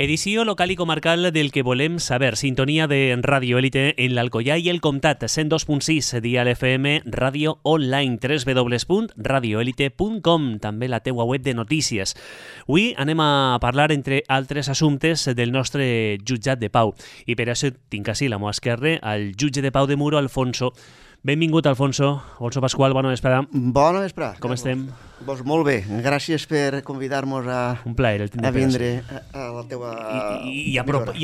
Edició local i comarcal del que volem saber. Sintonia de Radio Élite en l'Alcoià i el Comtat, 102.6, Dial FM, ràdio online, www.radioelite.com, també la teua web de notícies. Avui anem a parlar, entre altres assumptes, del nostre jutjat de pau. I per això tinc així a la meva esquerra el jutge de pau de Muro, Alfonso. Benvingut, Alfonso. Alfonso Pascual, bona vesprada. Bona vesprada. Com estem? Doncs molt bé. Gràcies per convidar-nos a vindre a la teua... I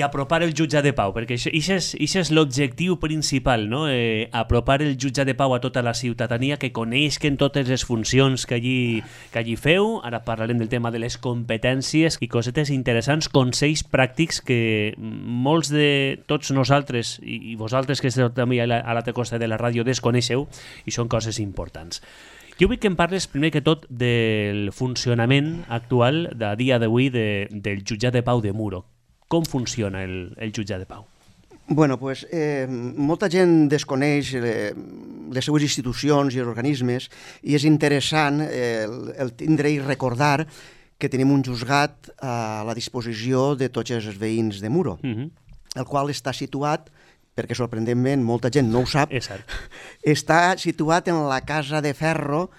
apropar el jutjat de pau, perquè això és l'objectiu principal, no? Apropar el jutjat de pau a tota la ciutadania, que coneixen totes les funcions que allí feu. Ara parlarem del tema de les competències i cosetes interessants, consells pràctics que molts de tots nosaltres i vosaltres que esteu també a l'altra costa de la ràdio desconeixeu, i són coses importants. Jo vull que em parles, primer que tot, del funcionament actual de dia d'avui del jutjat de pau de Muro. Com funciona el jutjat de pau? Bueno, pues, molta gent desconeix les seues institucions i els organismes, i és interessant el tindre i recordar que tenim un juzgat a la disposició de tots els veïns de Muro, el qual està situat, perquè sorprendentment molta gent no ho sap, està situat en la Casa de Ferro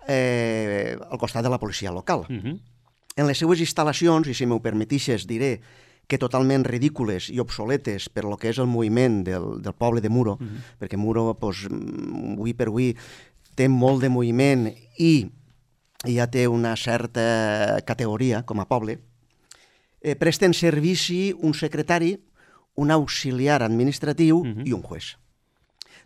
al costat de la policia local. En les seues instal·lacions, i si m'ho permetixes diré que totalment ridícules i obsoletes per lo que és el moviment del poble de Muro, perquè Muro, avui per avui, té molt de moviment i ja té una certa categoria com a poble, presten servici un secretari, un auxiliar administratiu i un juez.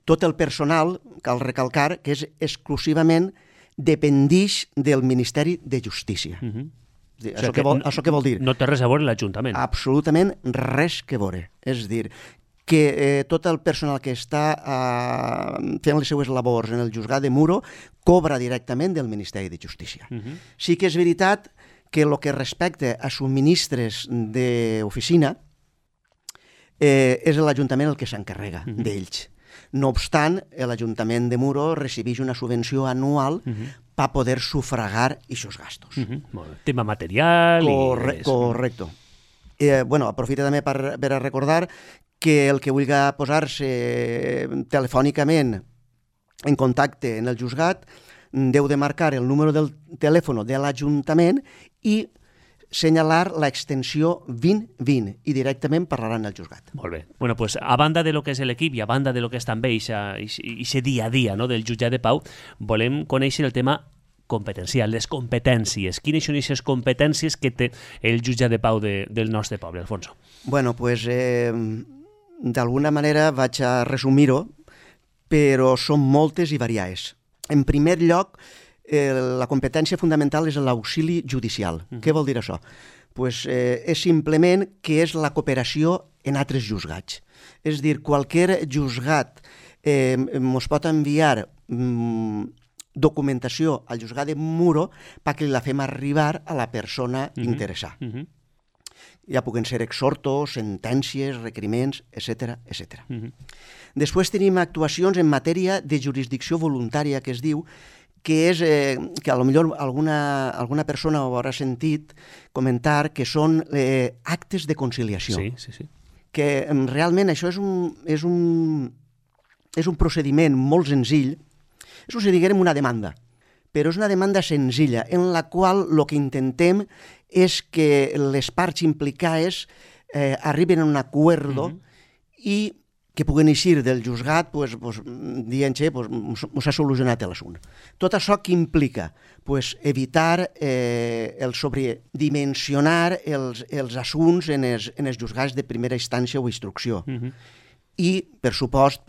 Tot el personal, cal recalcar, que és exclusivament dependix del Ministeri de Justícia. Això què vol dir? No té res a veure l'Ajuntament. Absolutament res que veure. És dir, que tot el personal que està fent les seues labors en el juzgat de Muro cobra directament del Ministeri de Justícia. Sí que és veritat que el que respecta a subministres d'oficina és l'Ajuntament el que s'encarrega d'ells. No obstant, l'Ajuntament de Muro recibeix una subvenció anual per poder sufragar aquests gastos. Tema material... Correcte. Aprofita també per recordar que el que vulgui posar-se telefònicament en contacte en el juzgat deu de marcar el número del telèfon de l'Ajuntament i senyalar l'extensió 2020 i directament parlaran al juzgat. Molt bé. Bueno, pues, a banda de lo que és l'equip i a banda de lo que és també aquest dia a dia, no, del jutjat de pau, volem conèixer el tema competencial, les competències. Quines són aquestes competències que té el jutjat de pau del nostre poble, Alfonso? Bueno, pues, d'alguna manera vaig a resumir-ho, però són moltes i variades. En primer lloc, la competència fundamental és l'auxili judicial. Què vol dir això? És simplement que és la cooperació en altres juzgats. És dir, qualsevol juzgat ens pot enviar documentació al juzgat de Muro perquè la fem arribar a la persona interessada. Ja puguen ser exhortos, sentències, requeriments, etc. Després tenim actuacions en matèria de jurisdicció voluntària, que es diu, que és que potser alguna persona ho haurà sentit comentar, que són actes de conciliació. Sí. Que realment això és un procediment molt senzill. És com si diguem una demanda, però és una demanda senzilla en la qual el que intentem és que les parts implicades arriben a un acuerdo i que puguen eixir del juzgat dient que s'ha solucionat l'assumpte. Tot això que implica? Evitar el sobredimensionar els assumptes en els juzgats de primera instància o instrucció. I, per supost,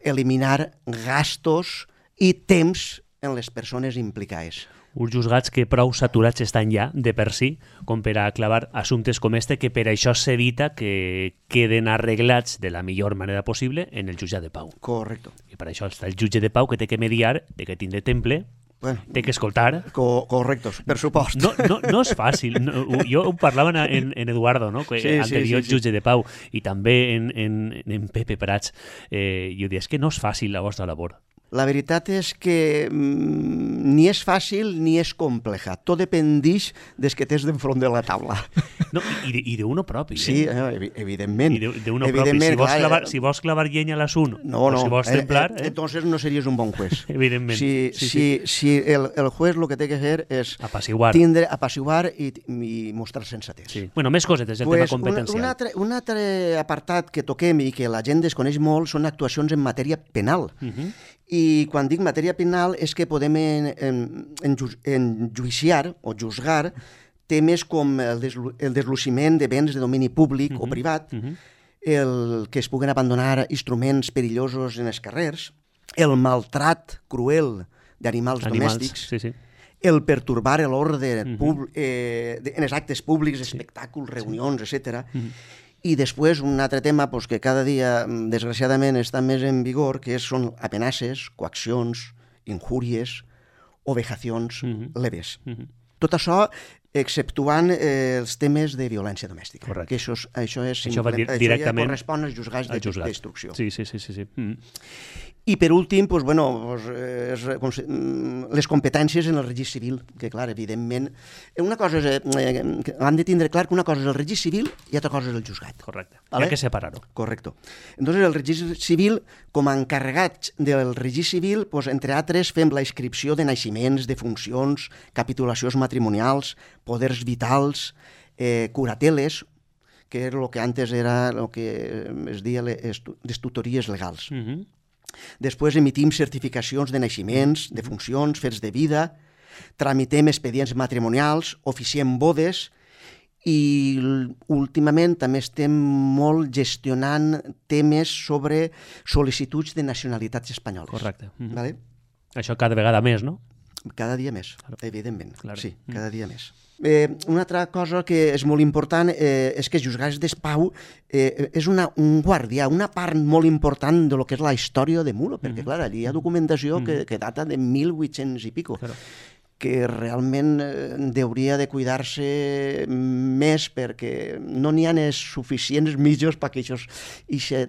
eliminar gastos i temps en les persones implicades. Uns juzgats que prou saturats estan ja, de per si, com per a clavar assumptes com este, que per això s'evita que queden arreglats de la millor manera possible en el jutjat de pau. Correcte. I per això està el jutge de pau, que té que mediar, té que tindre temple, té que escoltar. Correcte, per supost. No és fàcil. Jo ho parlava en Eduardo, no? Anterior jutge de pau, i també en Pepe Prats. Jo dic, és que no és fàcil la vostra labor. La veritat és que ni és fàcil ni és compleja. Tot dependeix des que tens d'enfront de la taula. No, i d'uno propi. Sí, evidentment. I d'uno propi. Si vols clavar llenya a l'assunt, o si vols templar... Entonces no series un bon juez. Evidentment. Si el juez el que té que fer és apaciguar i mostrar sensatez. Sí. Bueno, més cosetes, el tema competencial. Un altre apartat que toquem i que la gent desconeix molt són actuacions en matèria penal. I quan dic matèria penal és que podem enjuiciar o juzgar temes com el desluciment de béns de domini públic o privat, el que es puguen abandonar instruments perillosos en els carrers, el maltrat cruel d'animals domèstics, el pertorbar l'ordre en els actes públics, espectacles, reunions, etc. I després un altre tema que cada dia, desgraciadament, està més en vigor, que són amenaces, coaccions, injúries o vejacions leves. Tot això exceptuant els temes de violència domèstica. Correcte. Això ja correspon als juzgats d'instrucció. Sí. I per últim, les competències en el registre civil, que clar, evidentment, hem de tindre clar que una cosa és el registre civil i altra cosa és el juzgat. Correcte, hi ha que separar-ho. Correcte. Entonces, el registre civil, com a encarregats del registre civil, entre altres, fem la inscripció de naixements, de funcions, capitulacions matrimonials, poders vitals, curateles, que era el que antes era el que es deia les tutories legals. Després emitim certificacions de naixements, de funcions, fets de vida, tramitem expedients matrimonials, oficiem bodes i últimament també estem molt gestionant temes sobre sol·licituds de nacionalitats espanyoles. Correcte. Vale? Això cada vegada més, no? Cada dia més, evidentment. Claro. Sí, cada dia més. Una altra cosa que és molt important és que els juzgats d'Espau és un guardià, una part molt important de lo que és la història de Muro, perquè clar, allí hi ha documentació que data de 1800 i pico. Claro. Que realment hauria de cuidar-se més perquè no n'hi ha suficients mitjans perquè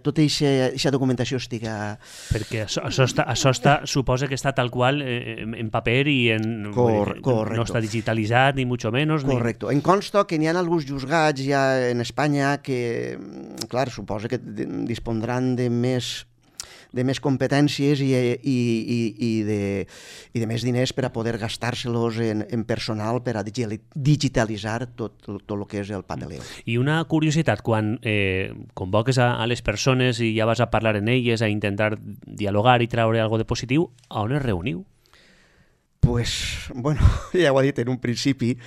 tota aquesta documentació estiga... Perquè això suposa que està tal qual en paper i no està digitalitzat, ni mucho menos. Correcte. Em consta que n'hi ha alguns juzgats ja en Espanya que, clar, suposa que dispondran de més competències i de més diners per a poder gastar-se-los en personal per a digitalitzar tot el que és el papeleo. I una curiositat, quan convoques a les persones i ja vas a parlar en elles, a intentar dialogar i treure alguna cosa de positiu, a on es reuniu? Pues, bueno, ja ho he dit en un principi,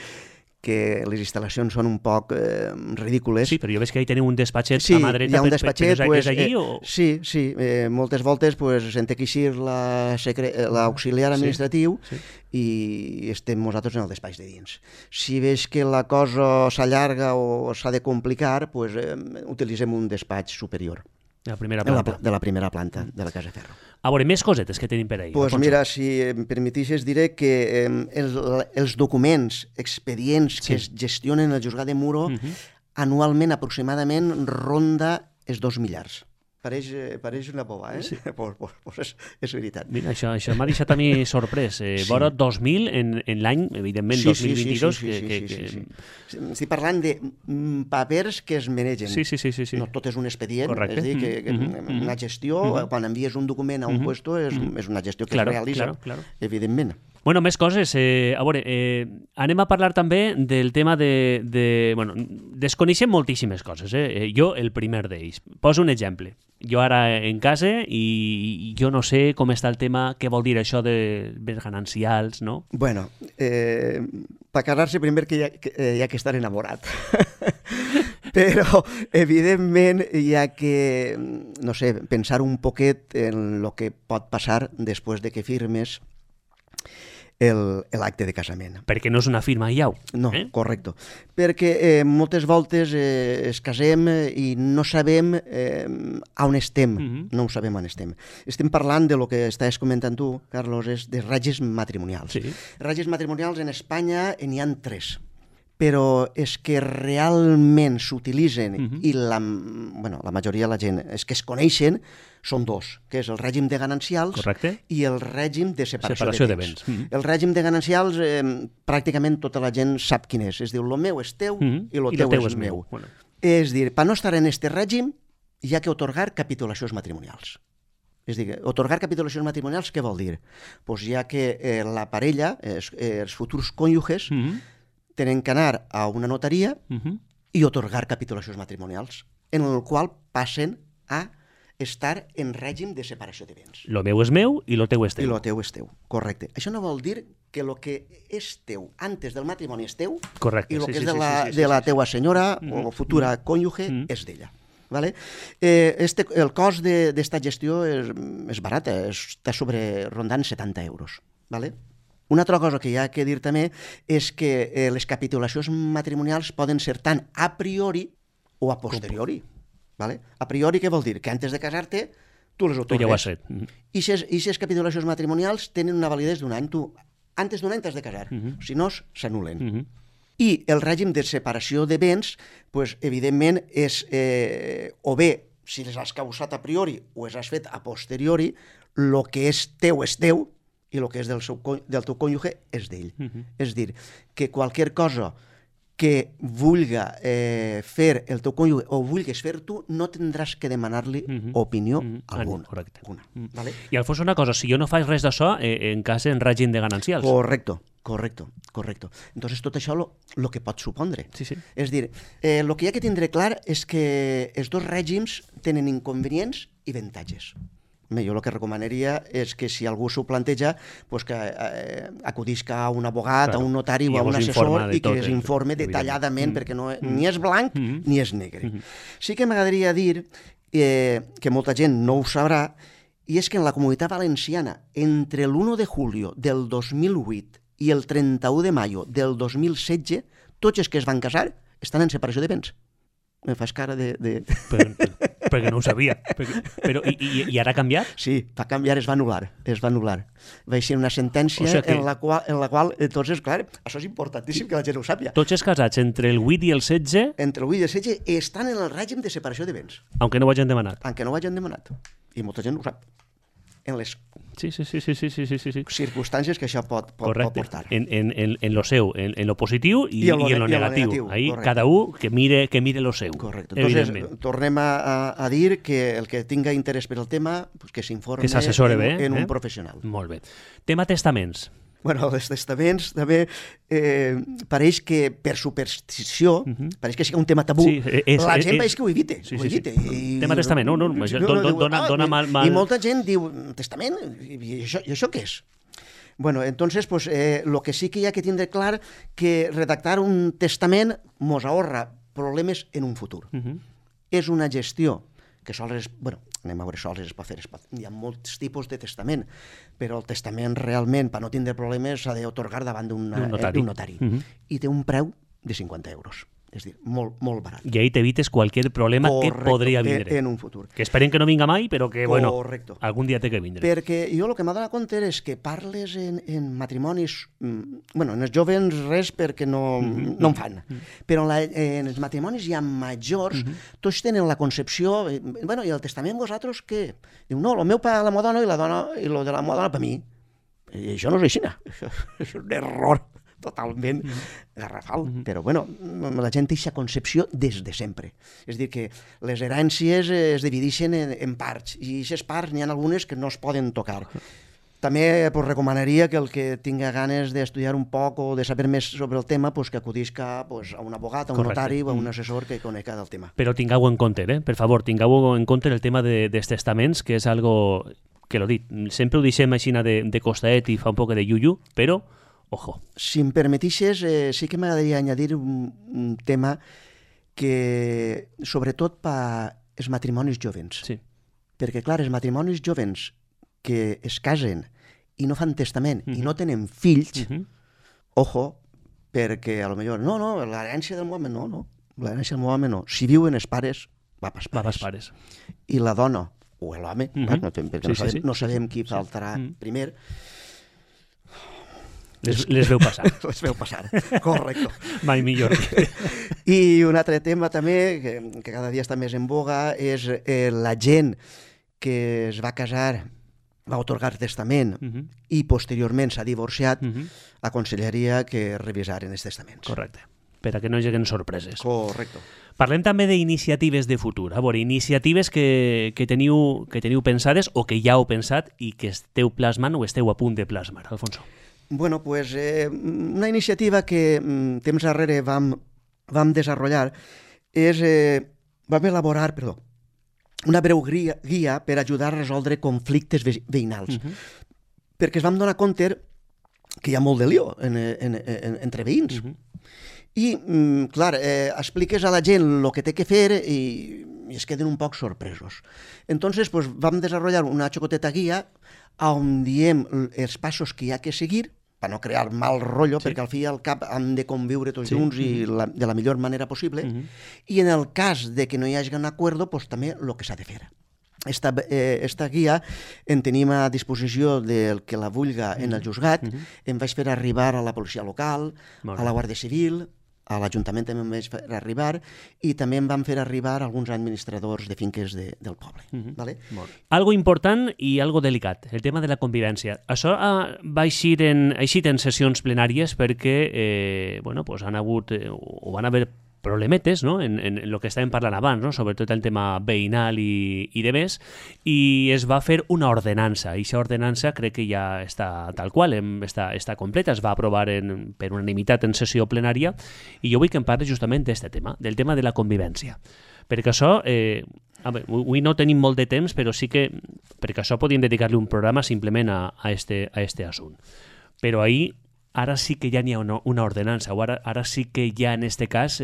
que les instal·lacions són un poc ridícules. Sí, però jo veig que hi teniu un despatxet a mà dreta, hi ha un despatxet, que és allí, o...? Sí, moltes voltes se'n té que eixir l'auxiliar administratiu i estem nosaltres en el despatx de dins. Si veig que la cosa s'allarga o s'ha de complicar, utilitzem un despatx superior. De la primera planta. De la primera planta de la Casa Ferro. A veure, més cosetes que tenim per ahí. Doncs mira, si em permetixes, diré que els documents, expedients que es gestionen al juzgat de Muro, anualment aproximadament ronda els 2 miliards. Pareix una boba, Sí. Pues és veritat. Mira, això m'ha deixat a mi sorprès. Vora 2.000 en l'any, evidentment, 2022. Estic parlant de papers que es manegen. Sí. No tot és un expedient. Correcte. És a dir, que una gestió, quan envies un document a un puesto, és una gestió que es realitza, evidentment. Bueno, més coses. A veure, anem a parlar també del tema bueno, desconeixem moltíssimes coses. Jo, el primer d'ells. Poso un exemple. Jo ara en casa i jo no sé com està el tema, què vol dir això de béns ganancials, no? Bueno, per casar-se primer que hi ha que estar enamorat. Però, evidentment, hi ha que, no sé, pensar un poquet en el que pot passar després de que firmes l'acte de casament. Perquè no és una firma i au. No, correcte. Perquè moltes voltes es casem i no sabem on estem. No ho sabem on estem. Estem parlant de lo que estàs comentant tu, Carlos, és de ratlles matrimonials. Sí. Ratlles matrimonials en Espanya n'hi ha 3. però és que realment s'utilitzen i la majoria de la gent és que es coneixen són dos, que és el règim de ganancials i el règim de separació de béns. El règim de ganancials pràcticament tota la gent sap quin és. Es diu, lo meu és teu i lo teu és meu. És dir, per no estar en este règim hi ha que otorgar capitulacions matrimonials. És dir, otorgar capitulacions matrimonials què vol dir? Doncs hi ha que la parella, els futurs cònjuges, tenen que anar a una notaria i otorgar capitulacions matrimonials, en el qual passen a estar en règim de separació de béns. Lo meu és meu i lo teu és teu. I lo teu és teu, correcte. Això no vol dir que el que és teu antes del matrimoni és teu i el que és de la teua senyora o futura cònjuge és d'ella. Vale? El cost d'esta gestió és barata, està rondant 70 euros. Vale? Una altra cosa que hi ha que dir també és que les capitulacions matrimonials poden ser tant a priori o a posteriori. Vale? A priori què vol dir? Que antes de casar-te tu les otorgues. Ja ho has fet. I les capitulacions matrimonials tenen una validesa d'un any. Tu antes d'un any t'has de casar, si no s'anulen. I el règim de separació de béns, pues, evidentment, és o bé, si les has causat a priori o les has fet a posteriori, el que és teu i el que és del teu cònjuge és d'ell. És dir, que qualsevol cosa que vulga fer el teu cònjuge o vulguis fer tu, no tindràs que demanar-li opinió alguna. Correcte. Vale? I Alfonso, una cosa, si jo no faig res d'això, en cas en règim de ganancials. Correcto. Entonces, tot això el que pot supondre. Sí. És dir, el que hi ha que tindre clar és que els dos règims tenen inconvenients i avantatges. Jo el que recomanaria és que si algú s'ho planteja, pues que acudisca a un abogat, a un notari o a un assessor i que es informe detalladament, perquè ni és blanc ni és negre. Sí que m'agradaria dir que molta gent no ho sabrà, i és que en la Comunitat Valenciana, entre l'1 de julio del 2008 i el 31 de maio del 2016, tots els que es van casar estan en separació de béns. Me fas cara de... Perquè no ho sabia. Però, i ara ha canviat? Sí, va canviar, es va anul·lar. Va ser una sentència en la qual, entonces, clar, això és importantíssim que la gent ho sàpiga. Tots els casats entre el 8 i el 16... Entre el 8 i el 16 estan en el règim de separació de béns. Aunque no ho hagin demanat. I molta gent ho sap. En les sí. circumstàncies que això pot portar. En lo seu, en lo positiu i en lo negatiu. Ahí cada un que mire lo seu. Correcte. Entonces, tornem a dir que el que tinga interès per el tema, pues que s'informe que s'assessore bé, en un professional. Molt bé. Tema testaments. Bueno, els testaments també pareix que per superstició, pareix que sigui un tema tabú, la gent pareix que ho evite. Tema testament, no, dona mal... I molta gent diu, testament? I això què és? Bueno, entonces, pues, lo que sí que hi ha que tindre clar que redactar un testament mos ahorra problemes en un futur. És una gestió que sols, anem a veure, sols es pot fer. Hi ha molts tipus de testament, però el testament realment, per no tindre problemes, s'ha d'atorgar davant d'un notari. I té un preu de 50 euros. És a dir, molt barat. I ahí t'evites qualsevol problema que podria vindre. En un futur. Que esperen que no vinga mai, però que, algun dia té que vindre. Perquè jo el que m'ha donat compte és que parles en matrimonis... en els jovens res perquè no en fan. Però en els matrimonis ja majors, tots tenen la concepció... i el testament vosaltres què? Diu, no, el meu per la meva dona i el de la meva dona per mi. I això no és així. És un error totalment garrafal. Però, la gent té aquesta concepció des de sempre. És a dir, que les herències es divideixen en parts, i aquestes parts n'hi ha algunes que no es poden tocar. També recomanaria que el que tinga ganes d'estudiar un poc o de saber més sobre el tema, que acudisca a un abogat, a un notari o a un assessor que conega del tema. Però tingueu en compte, per favor, tingueu en compte el tema dels testaments, que és algo que l'ho dit, sempre ho deixem així de costaet i fa un poc de yuyu, però ojo. Si em permetixes, sí que m'agradaria añadir un tema que, sobretot per els matrimonis jovens. Sí. Perquè, clar, els matrimonis jovens que es casen i no fan testament i no tenen fills, ojo, perquè a lo millor, no, l'herència del meu home no, l'herència del meu home no. Si viuen els pares, va pels pares. I la dona, o l'home, perquè no sabem qui faltarà primer, Les veu passar. Les veu passar, correcte. Mai millor. I un altre tema també, que cada dia està més en boga, és la gent que es va casar, va otorgar testament i posteriorment s'ha divorciat, aconsellaria que revisaren els testaments. Correcte, per a que no hi haguen sorpreses. Correcte. Parlem també d'iniciatives de futur. A veure, iniciatives que teniu pensades o que ja heu pensat i que esteu plasmant o esteu a punt de plasmar, Alfonso. Bueno, pues una iniciativa que temps darrere vam desenvolupar és, vam elaborar, una breu guia per ajudar a resoldre conflictes veïnals. Perquè es vam donar compte que hi ha molt de lío entre veïns. I, clar, expliques a la gent el que té que fer i es queden un poc sorpresos. Entonces, pues, vam desenvolupar una xocoteta guia on diem els passos que hi ha que seguir per no crear mal rotllo, perquè al fi i al cap han de conviure tots junts i de la millor manera possible, i en el cas de que no hi hagi un acord, pues, també el que s'ha de fer. Esta guia en tenim a disposició del que la vulga en el juzgat, em vaig fer arribar a la policia local, a la Guàrdia Civil, a l'Ajuntament també em vaig fer arribar i també em van fer arribar alguns administradors de finques del poble. Vale? Algo important i algo delicat, el tema de la convivència. Això va eixir en sessions plenàries perquè han hagut o van haver problemetes, no? en el que estàvem parlant abans, no? Sobretot el tema veïnal i de més, i es va fer una ordenança, i aquesta ordenança crec que ja està tal qual, està completa, es va aprovar per unanimitat en sessió plenària, i jo vull que em parli justament d'aquest tema, del tema de la convivència. Perquè això, avui no tenim molt de temps, però sí que, perquè això podíem dedicar-li un programa simplement a este assunt. Però ahir ara sí que ja n'hi ha una ordenança, o ara sí que ja en este cas,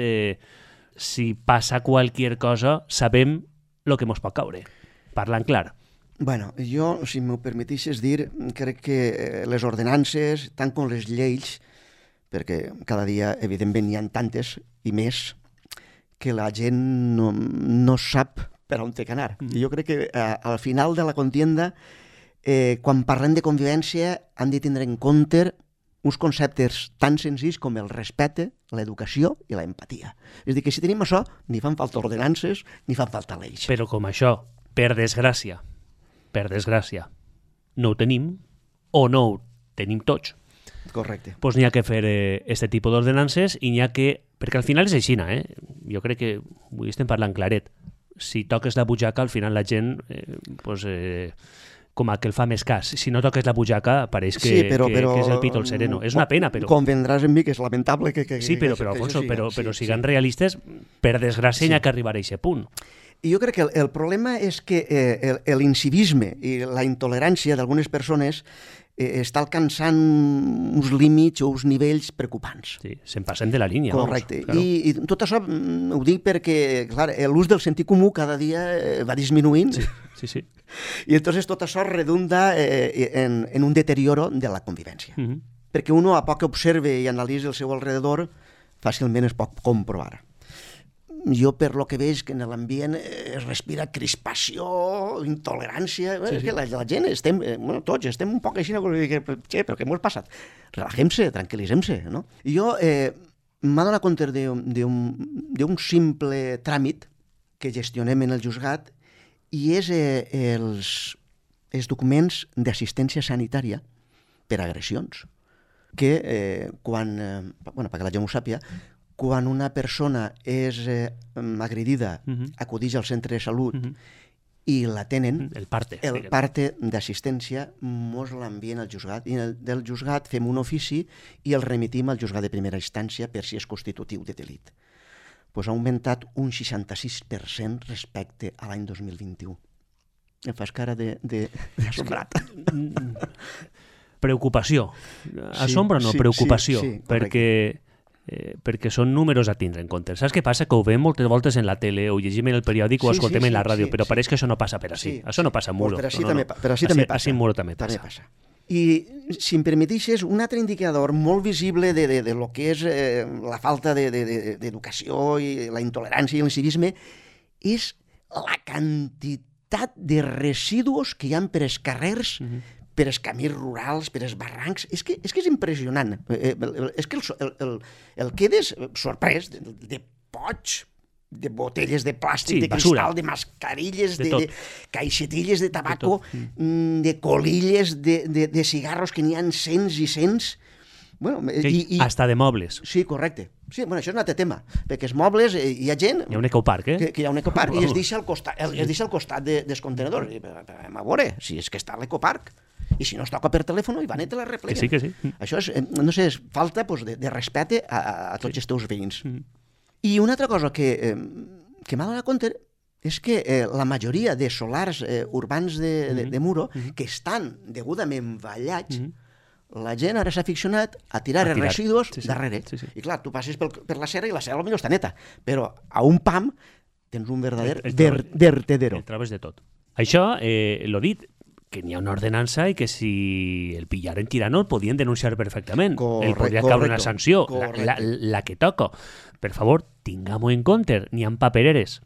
si passa qualsevol cosa, sabem el que ens pot caure, parlant clar. Bueno, jo, si m'ho permetixes dir, crec que les ordenances, tant com les lleis, perquè cada dia, evidentment, n'hi ha tantes i més, que la gent no sap per on té que anar. I jo crec que al final de la contienda, quan parlem de convivència, han de tindre en compte uns conceptes tan senzills com el respecte, l'educació i la empatia. És a dir, que si tenim això, ni fan falta ordenances, ni fan falta lleis. Però com això, per desgràcia, no ho tenim, o no ho tenim tots. Correcte. Doncs n'hi ha que fer aquest tipus d'ordenances i n'hi ha que... Perquè al final és així, Jo crec que avui estem parlant claret. Si toques la butxaca, al final la gent... com a que el fa més cas. Si no toques la butxaca, pareix que és el pito el sereno. És una pena, però... Convendràs amb mi que és lamentable que sí, però Alfonso, però siguem realistes, per desgràcia n'hi ha que arribar a aquest punt. I jo crec que el problema és que l'incivisme i la intolerància d'algunes persones està alcançant uns límits o uns nivells preocupants. Sí, se'n passen de la línia. Correcte. Claro. I tot això ho dic perquè, clar, l'ús del sentit comú cada dia va disminuint. Sí. I entonces tot això redunda en un deterioro de la convivència. Perquè uno, a poc que observe i analitzi el seu alrededor, fàcilment es pot comprovar. Jo, per lo que veig, que en l'ambient es respira crispació, intolerància... És que la gent estem, tots estem un poc així, però què m'ho has passat? Relajem-se, tranquil·litzem-se, no? I jo m'ha donat compte d'un simple tràmit que gestionem en el juzgat i és els documents d'assistència sanitària per agressions, que perquè la gent ho sàpiga, quan una persona és agredida, acudeix al centre de salut i la tenen, el parte d'assistència mos l'envien al juzgat, i del juzgat fem un ofici i el remitim al juzgat de primera instància per si és constitutiu de delit. Pues ha augmentat un 66% respecte a l'any 2021. Em fas cara d'assombrat. Preocupació. Assombra o no? Preocupació. Perquè són números a tindre en compte. Saps què passa? Que ho veiem moltes voltes en la tele, o llegim en el periòdic, o escoltem en la ràdio, però pareix que això no passa per així. Això no passa a Muro. Per així també passa. Així a Muro també passa. I, si em permetixes, un altre indicador molt visible de lo que és la falta d'educació i la intolerància i l'incivisme és la quantitat de residus que hi ha per els carrers per els camins rurals, per els barrancs. És que és impressionant. És que el quedes sorprès de pots, de botelles de plàstic, de cristal, de mascarilles, de caixetilles de tabaco, de colilles, de cigarros, que n'hi ha cents i cents. Bueno, hasta de mobles. Sí, correcte. Sí, bueno, això és un altre tema, perquè els mobles hi ha gent... Hi ha un ecoparc, que hi ha un ecoparc, i es deixa al costat dels contenedors. A veure, si és que està a l'ecoparc, i si no es toca per telèfon, i van i te la repleguen. Que sí. Això és, no sé, és falta de respecte a tots els teus veïns. I una altra cosa que m'ha donat compte és que la majoria de solars urbans de Muro, que estan degudament ballats, la gent ara s'ha aficionat a tirar els residus darrere. I clar, tu passes per la serra i la serra potser està neta, però a un pam tens un verdader vertedero. El trobes de tot. Això, l'ho dit, que n'hi ha una ordenança i que si el pillaren tirant el podien denunciar perfectament. El podria caure una sanció, la que toca. Per favor, tinguem-ho en compte, n'hi ha papereres.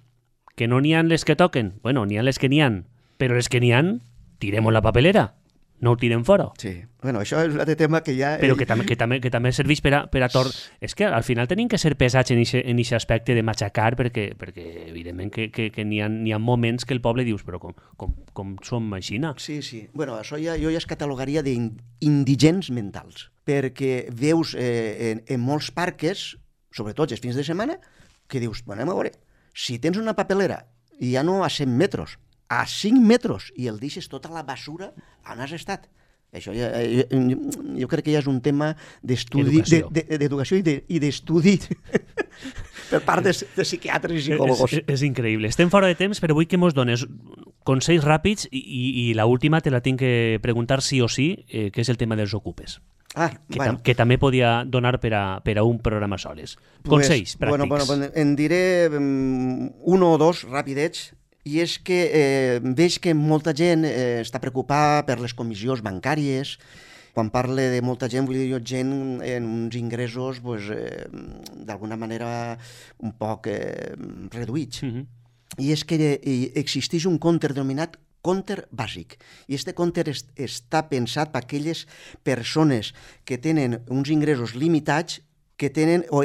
Que no n'hi ha les que toquen, bueno, n'hi ha les que n'hi ha, però les que n'hi ha, tirem la papelera. No ho tirem fora. Sí, bueno, això és un altre tema que ja... Però que també serveix per a tort. És que al final tenim que ser pesats en aquest aspecte de matxacar, perquè evidentment que n'hi ha moments que el poble dius, però com som així? Sí. Bueno, això jo ja es catalogaria d'indigents mentals, perquè veus en molts parques, sobretot els fins de setmana, que dius, bueno, anem a veure, si tens una papelera i ja no a 100 metres, a 5 metres, i el deixes tota la basura on has estat. Això jo crec que ja és un tema d'estudi, d'educació i d'estudi per part de psiquiatres i psicòlogos. És increïble. Estem fora de temps, però vull que mos dones consells ràpids i l'última te la tinc que preguntar sí o sí, que és el tema dels ocupes. Que també podia donar per a un programa soles. Consells pràctics. Bueno, en diré un o dos ràpidets. I és que veig que molta gent està preocupada per les comissions bancàries. Quan parle de molta gent, vull dir jo gent en uns ingressos d'alguna manera un poc reduïts. I és que existeix un compte denominat compte bàsic. I aquest compte està pensat per aquelles persones que tenen uns ingressos limitats que tenen o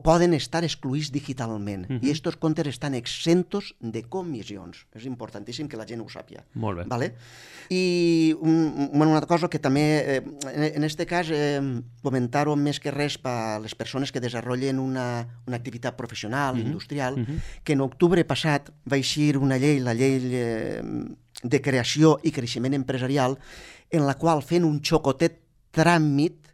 poden estar excluïts digitalment. I aquests comptes estan exentos de comissions. És importantíssim que la gent ho sàpiga. Molt bé. Vale? I una altra cosa que també, en aquest cas, comentar-ho més que res per les persones que desenvolupen una activitat professional, industrial, que en octubre passat va eixir una llei, la llei de creació i creixement empresarial, en la qual fent un xocotet tràmit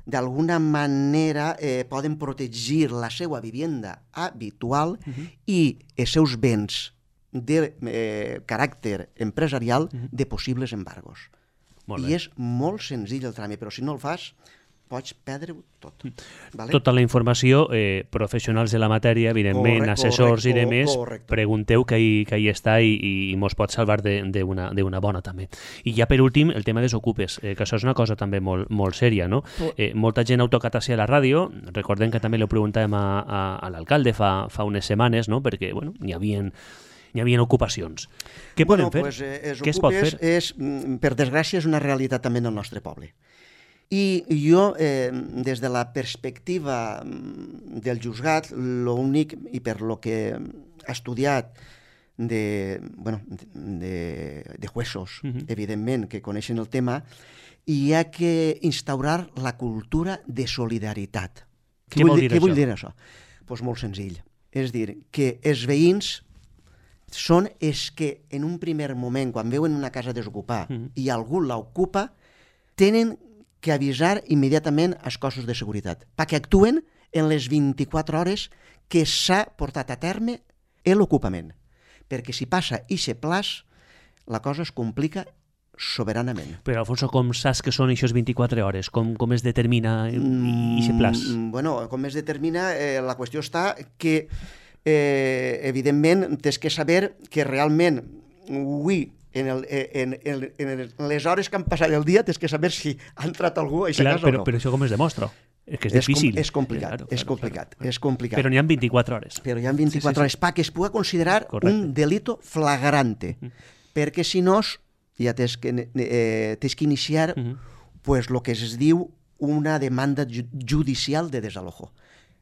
d'alguna manera poden protegir la seva vivienda habitual i els seus béns de caràcter empresarial de possibles embargos. I és molt senzill el tràmit, però si no el fas pots perdre-ho tot. Tota la informació, professionals de la matèria, evidentment, assessors i demés, pregunteu que hi està i mos pot salvar d'una bona també. I ja per últim, el tema dels ocupes, que això és una cosa també molt sèria, no? Molta gent ha tocat així a la ràdio, recordem que també li preguntàvem a l'alcalde fa unes setmanes, no? Perquè n'hi havia ocupacions. Què podem fer? Què es pot fer? Per desgràcia, és una realitat també en el nostre poble. I jo, des de la perspectiva del juzgat, l'únic, i per lo que he estudiat de juesos, evidentment, que coneixen el tema, hi ha que instaurar la cultura de solidaritat. Què vol dir això? Què vull dir això? Doncs molt senzill. És dir, que els veïns són els que en un primer moment, quan veuen una casa desocupada i algú l'ocupa, tenen que avisar immediatament als cossos de seguretat, perquè actuen en les 24 hores que s'ha portat a terme l'ocupament. Perquè si passa ixe plaç, la cosa es complica soberanament. Però, Alfonso, com saps que són aquestes 24 hores? Com es determina ixe plaç? Bueno, com es determina, la qüestió està que, evidentment, tens que saber que realment avui en les hores que han passat el dia tens que saber si ha entrat algú a aquesta casa o no. Però això com es demostra? Que és difícil. És complicat. Però n'hi ha 24 hores. Però hi ha 24 hores perquè es pugui considerar un delito flagrante. Perquè si no, ja tens que iniciar pues, lo que es diu una demanda judicial de desalojo,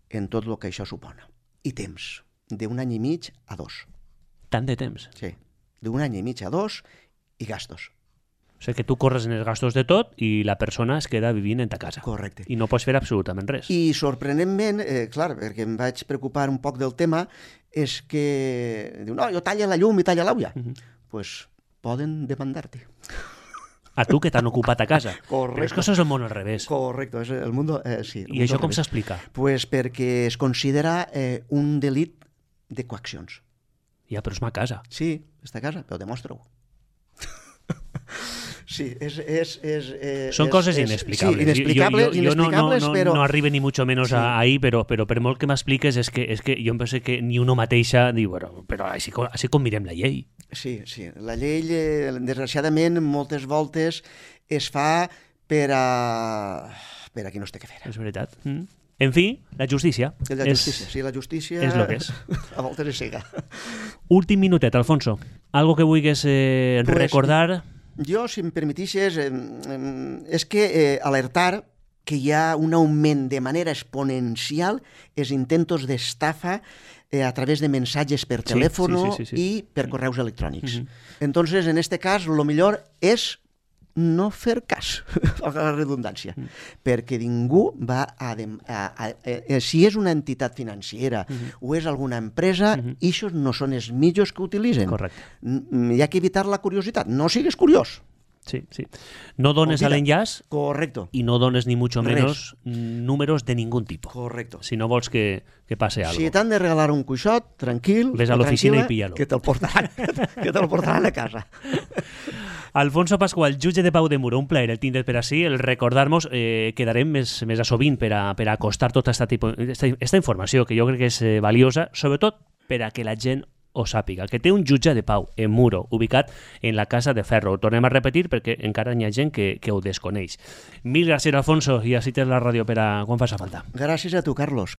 en tot el que això supona. I temps, d'un any i mig a 2. Tant de temps? Sí, d'un any i mig a 2 i gastos. O sigui que tu corres en els gastos de tot i la persona es queda vivint en ta casa. Correcte. I no pots fer absolutament res. I sorprenentment, clar, perquè em vaig preocupar un poc del tema, és que diu, no, jo talla la llum i talla l'aigua. Pues poden demandar-te. A tu que t'han ocupat a casa. Correcte. Però és que això és el món al revés. Correcte, és el mundo, sí. I això com s'explica? Pues perquè es considera un delit de coaccions. Ja, però és ma casa. Sí, està a casa, però demostra-ho. Sí, Són coses inexplicables. Sí, inexplicables, però... No arribe ni mucho menos ahí, però per molt que m'expliques és que jo em penso que ni uno mateixa diu, bueno, però així com mirem la llei. Sí, la llei, desgraciadament, moltes voltes es fa per a qui no es té que fer. És veritat. En fi, la justícia. La justícia és el que és. A voltes és cega. Últim minutet, Alfonso. Algo que vulguis recordar... Jo, si em permetixes, és que alertar que hi ha un augment de manera exponencial els intentos d'estafa a través de mensajes per telèfon i per correus electrònics. Entonces, en este cas, lo millor és no fer cas, a la redundància, perquè ningú va si és una entitat financera o és alguna empresa, ixos no són els millors que utilitzen. Correcte. Hi ha que evitar la curiositat. No sigues curiós. Sí. No dones l'enllaç. Correcto. I no dones ni mucho menos números de ningún tipo. Correcto. Si no vols que passe algo. Si t'han de regalar un cuixot, tranquil, ves a l'oficina i pilla-lo. Que te'l portaran a casa. Alfonso Pascual, jutge de Pau de Muro, un plaer el tindre per ací, el recordar-nos, quedarem més a sovint per a acostar tota esta informació que jo crec que és valiosa, sobretot per a que la gent ho sàpiga, que té un jutge de pau en Muro, ubicat en la Casa de Ferro. Ho tornem a repetir perquè encara hi ha gent que ho desconeix. Mil gràcies, Alfonso, i així tens la ràdio per a quan faci falta. Gràcies a tu, Carlos.